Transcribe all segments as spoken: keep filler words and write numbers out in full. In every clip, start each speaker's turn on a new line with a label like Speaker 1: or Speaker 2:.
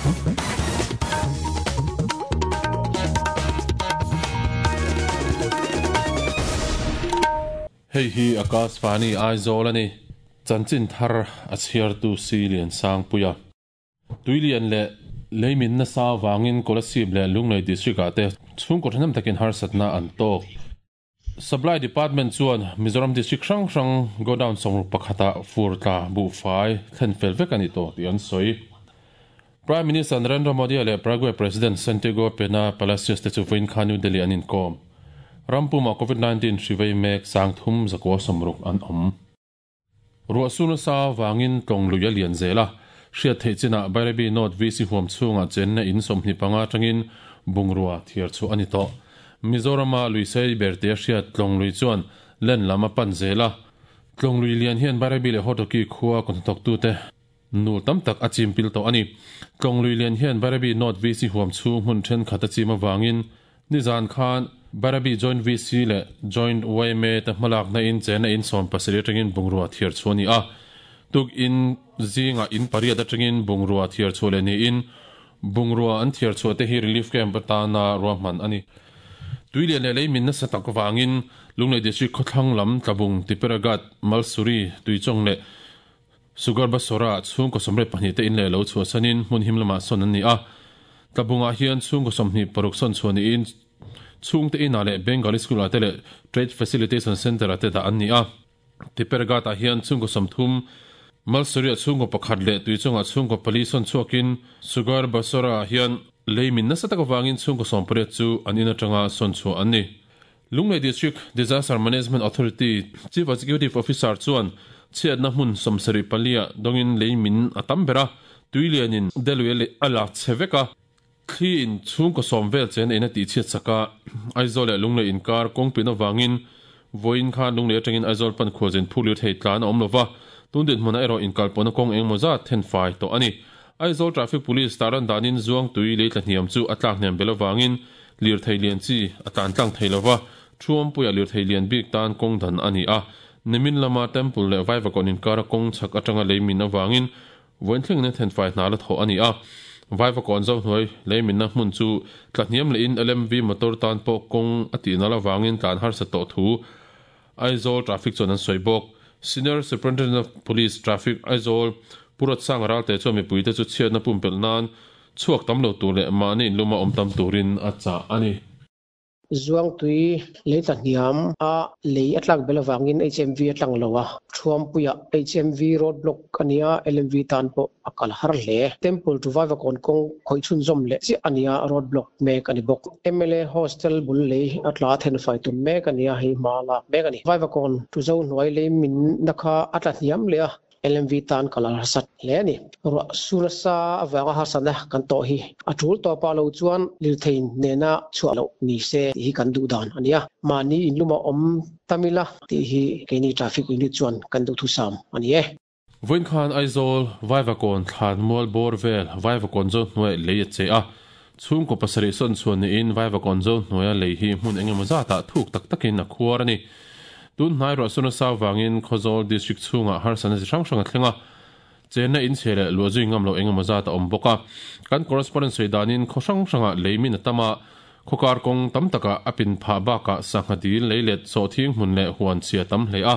Speaker 1: Hei hi Akashvani Aizawl ani chanchin thar a chhiar tu si lian sang puia tuilian le leimin na sa wangin Kolasib le Lunglei district ate chhungkaw thanem takin harsatna an tok Supply Department chuan Mizoram district hrang hrang godown sawmruk pakhata fur tla bu fai thlen fel vek ani to ti an sawi Prime Minister Narendra Modi le Paraguay President Santiago Pena Palacios te chu vawiin khan New Delhi an inkawm Rampuma COVID nineteen hrivei mek sang thum zakua sawmruk an awm Ruahsuna sa wangin tlawng lui a lian zela hriat theih chinah Bairabi North V C huam chhunga chenna in sawmhnih panga tangin bungrua thiar chu ani tawh Mizorama luisei berte hriat tlawng lui chuan len lam a pan zela tlawng lui lian hian Bairabi leh Hotoki khua kawthnathawk tu te nu tam tak a chim pil tawh ani tlawng lui lian hian Bairabi North V C huam chhung hmun thenkhat a chim awangin nizan khan Bairabi Joint V C le Joint Y M A te hmalak na in chena in sawm pasarih atangin bungrua thiar chu ani a tuk in zinga in pariat atangin bungrua thiar chu le ni in bungrua an thiar chu te hi relief camp atana ruahman ani tuilian le leimin na satak wangin Lunglei district khawthlang lam tlabung Tiperagat Malsuri tuichawng le Sugar Basora chhungkaw sawmriat pahnih te in le lo chhuah sanin hmun him lamah sawn an ni a tlabungah hian chhungkaw sawmhnih paruk sawn chhuah niin chhungte inah leh Bengali School ah te leh Trade Facilitation Center ah te dah an ni a Tiperagat ah hian chhungkaw sawmthum Malsuri ah chhungkaw pakhat leh tuichawngah chhungkaw pali sawn chhuakin Sugar Basora ah hian leimin nasa tak awangin chhungkaw sawmpariat chu an in atanga sawn chhuah an ni Lunglei District Disaster Management Authority Chief Executive Officer chuan chhiatna hmun sawmsarih palia dawngin leimin a tam bera tuilianin delui le a la che veka thli in chhungkaw sawm vel chen ina tih chhiat saka Aizawl leh Lunglei inkar kawngpin awangin vawiin khan Lunglei atangin Aizawl pan khualzin phur lir thei tlan a awm lova tundin hmunah erawh inkalpawhna kawng engemaw zat then fai tawh ani Aizawl Traffic Police taran danin zuang tui lei tla hniam chu a tlak hniam bel awangin lir thei lian chi a tlan tlang thei lova thuampuia lir thei lian bik tan kawng dan ani a nimin lama temple leh Vaivakawn inkara kawng chhak atanga leimin awangin vawiin thleng na then fai hna la thawh ani a Vaivakawn zo hnuai leimin na hmun chu tla hniam leh in L M V motor tan pawh kawng a tih nal awangin tlan harsa tawh thu Aizawl Traffic chuan an sawi bawk Senior Superintendent of Police Traffic Aizawl Purat sang ral te chuan mipui te chu chhiatna pumpelh nan chhuak tam lo tur leh mahni in luma awm tam turin a chah ani
Speaker 2: Zuang tui lei tla hniam a lei a tlak bel awangin H M V a tlang lo a thuampuia H M V road block ania L M V tan pawh a kal har hle temple to Vaivakawn kawng khawih chhun zawm leh chiah ania road block mek ani bawk M L A hostel bul lei a tla then fai tum mek ania hei hma lak mek ani Vaivakawn tu zo hnuai lei min na kha a tla hniam leh a L M V tan kalar sat hle ani ruah suna sa awanga harsana kan tawh hi a tul tawpa lo chuan lirthein nena chhuah lo ni se hi kan duh dan ania mahni in luma awm tamila tih hi keini traffic unit chuan kan duh thu sam ani e
Speaker 1: Vawiin khan Aizawl Vaivakawn thlan mual bawr vel Vaivakawn zo hnuai lei a che a chhungkaw pasarih sawn chhuan niin Vaivakawn zo hnuaia lei hi hmun engemaw zatah thuk tak takin a khuar ani tun hnai ruahsuna sa wangin Khawzawl district chhunga harsana chi hrang hrang a thlenga chenna in chhe leh luah zui ngam lo engemaw zat a awm bawk a kan correspondent sawi danin khaw hrang hranga leimin a tama khawkar kawng tam taka a pin phah bakah sangha dil lei let sawhthing hmun leh huan chhia tam hle a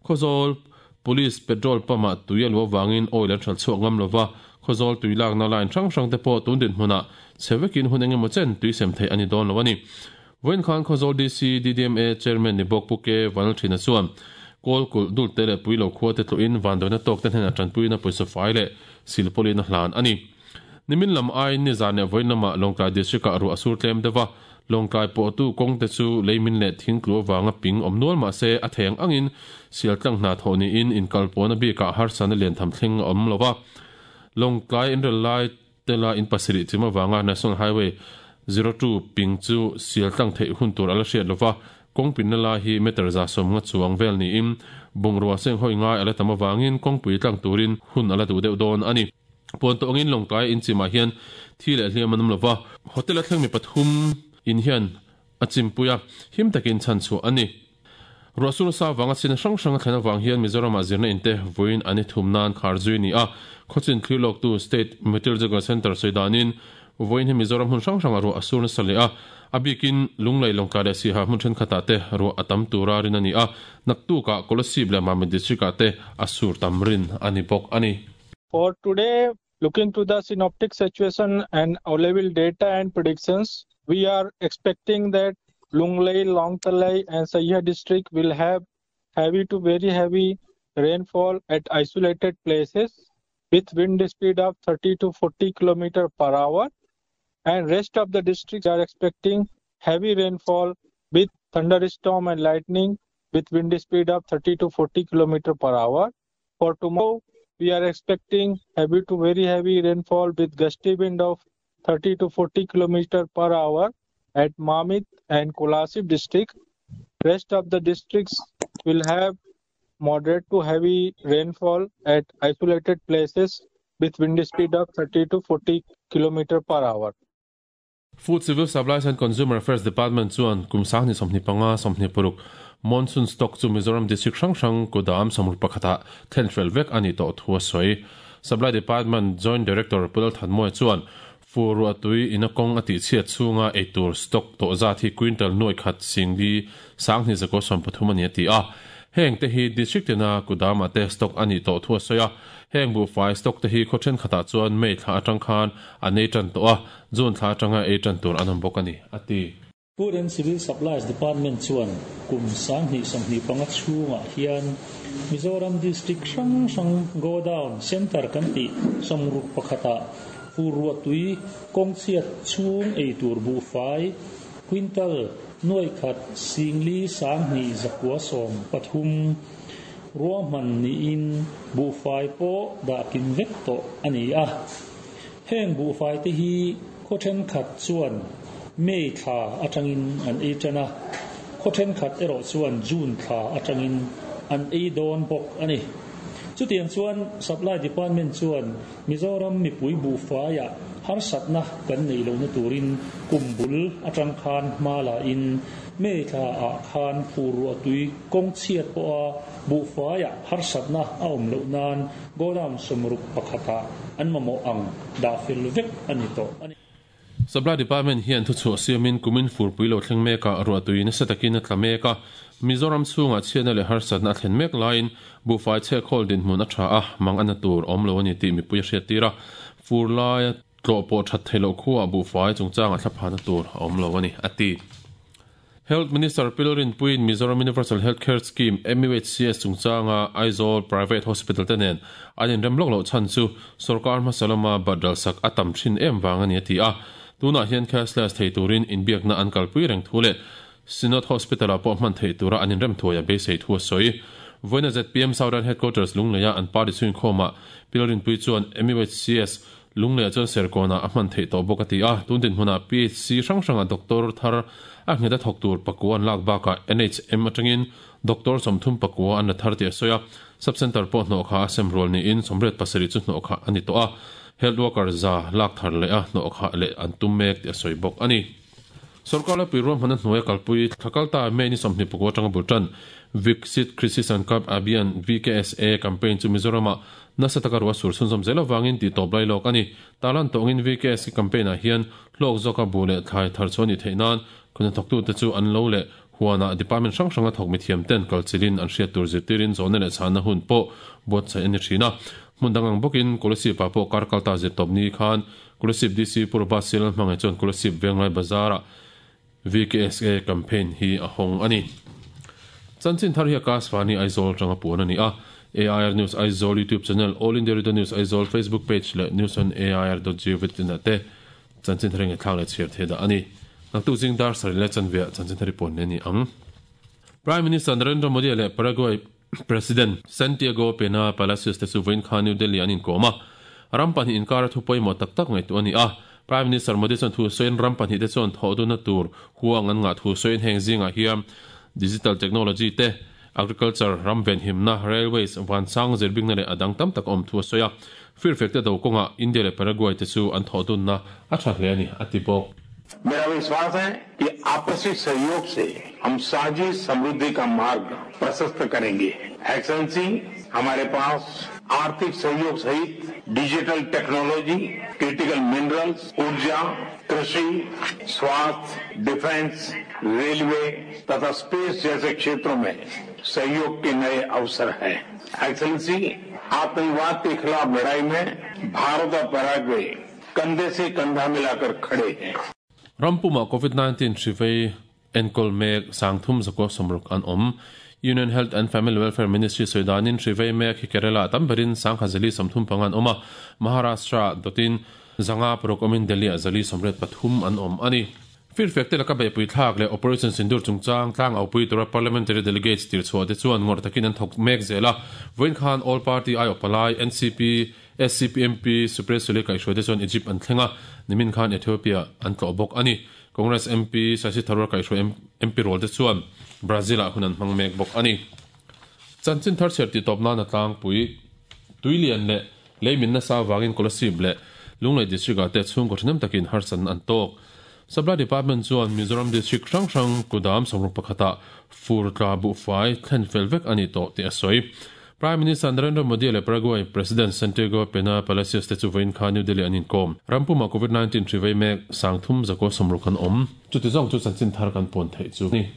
Speaker 1: Khawzawl Police petrol pump ah tui a luah wangin oil an hral chhuak ngam lova Khawzawl tui lakna line hrang hrang te pawh tundin hmunah chhevekin hun engemaw chen tui sem thei ani dawn lo ani Vawiin khan Khawzawl D C D D M A chairman ni bawk Puke Vanal Thina chuan kawl kulh dul te leh pui lo khua te tluin vanduaina tawk te hnenah tanpuina pawisa fai leh silpawlin a hlan ani nimin lam ai ni zan leh vawiin lamah Lawngtlai district ah ruah a sur tlem deuha Lawngtlai pawh tu kawng te chu leimin leh thing tlu awanga ping awm nual mahse a theng angin sial tlang hna thawh niin inkalpawhna bikah harsana lian tham thleng a awm lova Lawngtlai inrel lai tela in pasarih chim awanga National Highway zero two ping chu sial tlang theih hun tur ala hriat lova kawngpin na lai hi meter za sawm nga chuang vel niin bungrua seng hawi ngai ala tam awangin kawngpui tlang turin hun ala duh deuh dawn ani puan tawngin Lawngtlai in chimah hian thi leh hliam an awm lova hotel a thleng mi pathum in hian a chimpuia him takin chhan chhuah ani Ruahsur sa wanga chin hrang hrang a thlen awang hian Mizoram ah zirna inte vawiin an i thum nan khar zui ni a khawchin thlir tu State Meteorological Centre sawidanin vawiin hi Mizoram hmun hrang hrang a ruah a sur nasa leh a a bikin Lunglei Lawngtlai leh Siaha hmun thenkhatah te ruah a tam tura rin a ni a naktukah Kolasib leh Mamit district ah te a sur tam rin a ni bawk a ni.
Speaker 3: For today, looking to the synoptic situation and available data and predictions, we are expecting that Lunglei, Lawngtlai and Saiha district will have heavy to very heavy rainfall at isolated places with wind speed of thirty to forty kilometers per hour, and rest of the districts are expecting heavy rainfall with thunderstorm and lightning with wind speed of thirty to forty kilometers per hour. For tomorrow, we are expecting heavy to very heavy rainfall with gusty wind of thirty to forty kilometers per hour at Mamit and Kolasib district. Rest of the districts will have moderate to heavy rainfall at isolated places with wind speed of thirty to forty kilometers per hour.
Speaker 1: Food Civil Supplies and Consumer Affairs Department chuan kum sang ni sawmhnih panga sawmhnih paruk monsoon stock chu Mizoram district hrang hrang kudam sawmruk pakhata thlen fel vek ani tawh thu a sawi. Supply Department Joint Director Pulal Thanmawia chuan fur tui ina kawng a tih chhiat chhunga eitur stock tawh zat hi quintal nuai khat singli sanghnih zakua sawm pathum ani a ti a. Heng te hi district tina kudama te stock ani tawh thu a sawi a. Heng bu fai stock te hi khawthen khatah chuan May thla atang khan an ei tan tawh a, June thla atanga ei tan tur an awm bawk ani a ti.
Speaker 4: Food and Civil Supplies Department chuan kum sanghnih sawmhnih panga chhungah hian Mizoram district hrang hrang go down center kan tih sawmruk pakhatah fur tui kawng chhiat chhung eitur bu fai quintal nuai khat singli sanghnih zakua sawm pathum ruahman niin bu fai pawh dah kim vek tawh a ni a. Heng bu fai te hi khawthen khat chuan May thla atangin an ei tan a, khawthen khat erawh chuan June thla atangin an ei dawn bawk a ni. Chutiang chuan Supply Department chuan Mizoram mipui bu faiah harsatna kan nei lo na turin kumbul atang khan hma in May thla ah khan fur tui kawng chhiat pawh a bu faiah harsatna a awm loh nan godown sawmruk pakhata an mamawh ang dah fel vek a ni tawh a ni.
Speaker 1: Supply Department hian thu chhuah siamin kumin furpui lo thleng meka ruah tui nasa takin a tla mek a. Mizoram chhungah chhiatna leh harsatna a thlen mek laiin buhfai chhekhawl dinhmun a tha a mang ana tur awm lo ani tih mipui a hriat tir a. Fur laia tlawh pawh that thei loh khuah buhfai chungchang a thlaphana tur a awm lo ani a ti. Health Minister Pilorin Puin Mizoram Universal Healthcare Scheme M U H C S chungchanga Aizawl Private Hospital te nen an inrem lawk loh chhan chu sarkar hmasalama badal sak a tam thin em wang ani a ti a. Tunah hian cashless thei turin inbiakna an kalpui reng thu leh Synod Hospital ah pawh hman thei tura an inrem thuai a beisei thu a sawi. Vawiina Z P M Southern Headquarters Lungleia an party chhuin khawmah Pilorin Pui chuan M U H C S Lungleia chuan Serkawna a hman thei tawh bawk a ti a. Tun dinhmunah P H C hrang hranga doctor thar a nghet a thawk tur pakua an lak bakah N H M atangin doctor sawmthum pakua an la thar tih a sawi a. Sub-center pawh hnawh kha a sem rual niin sawmriat pasarih chu hnawh kha a ni tawh a. Health worker za lak thar leh a hnawh kha leh an tum mek tih a sawi bawk a ni. Sarkar pui ruahman a hnuai kalpui thlakalta May ni sawmhnih pakua atanga bul tan Viksit Krishi Sankalp Abhiyan V K S A campaign chu Mizoramah nasa taka ruah sur chhunzawm zel awangin tih tawp lai lawk a ni. Talan tawngin V K S campaign ah hian hlawk zawka bu leh thlai thar chu ani theih nan khuna thawktute chu an lo leh huana department hrang hranga thawk mithiam ten kalchilin an hriat tur zirtirin zawhna leh chhana hun pawh buatsaih ani thin a. Hmun dangang bawkin Kolasib ah pawh kar kalta zir tawp ni khan Kolasib D C Purba Sil hmangaih chuan Kolasib Venglai Bazar ah V K S A campaign hi a hawng ani. Chanchin thar hi Akashvani Aizawl tanga puan ani a. A I R News Aizawl YouTube channel, All India Radio News Aizawl Facebook page leh news on A I R dot gov dot in te chanchin thar nge thlak leh chhiar the da ani. Naktuk jing dar sari leh chanvia chanchin thar pon ne ni ang. Prime Minister Narendra Modi leh Paraguay President Santiago Pena Palacios te chu vawiin khan New Delhi an inkawm a. Ram pahnih inkar a thu pawimawh tak tak ngaihtuah ani a. Prime Minister Modi chuan thu sawiin ram pahnih te chuan thawh duna tur huang an ngah thu sawiin heng zingah hian digital technology te agriculture ram ven himna railways vansang zirbingna leh adang tam tak awm thu a sawi a. Firfek te do kawnga India leh Paraguay te chu an thawh dunna a tha hle ani a ti bawk.
Speaker 5: मेरा विश्वास है कि आपसी सहयोग से हम साझी समृद्धि का मार्ग प्रशस्त करेंगे। एक्सलेंसी, हमारे पास आर्थिक सहयोग सहित digital technology, critical minerals, ऊर्जा, कृषि, स्वास्थ्य, डिफेंस, रेलवे तथा स्पेस जैसे क्षेत्रों में सहयोग के नए अवसर हैं। एक्सलेंसी, आतंकवाद के खिलाफ लड़ाई में भारत और पैराग्वे कंधे से कंधा मिलाकर खड़े हैं।
Speaker 1: Rampuma COVID nineteen hrivei enkol mek sangthum zakwa somruk an om. Union Health and Family Welfare Ministry soidanin hrivei mek hi Kerala tamberin sangkhazali samthum pangan oma. Maharashtra dotin zanga prok omin Delhi azali somret pathum an om ani. Fir fekte laka be pui thlak le Operation Sindur chungchang tlang au pui tura parliamentary delegates tir chhuah te chuan ngor takin an thok mek zela. Voin khan all party ai opalai N C P S C P M P Supriya Sule kai hruai te chuan Egypt an thlenga nimin khan Ethiopia an tlawh bawk ani. Congress M P Shashi Tharoor kai hruai M P rol te chuan Brazil ah hun an hmang mek bawk ani. Chanchin thar chher ti tawp nan a tlang pui tuilian le leimin nasa wangin Kolasib le Lunglei district ah te chhungkaw thahnem takin harsan an tawk. Supply Department chuan Mizoram District hrang hrang kudam sawmruk pakhata fur tla bu fai thlen fel vek ani tawh tih a sawi. Prime Minister Narendra Modi le Paraguay President Santiago Pena Palacios te chu vawiin kha New Delhi an inkawm. Rampuma COVID nineteen hrivei mek sangthum zakua sawmruk an awm. Chuti zawng chu chanchin thar kan pawn theih chu ni.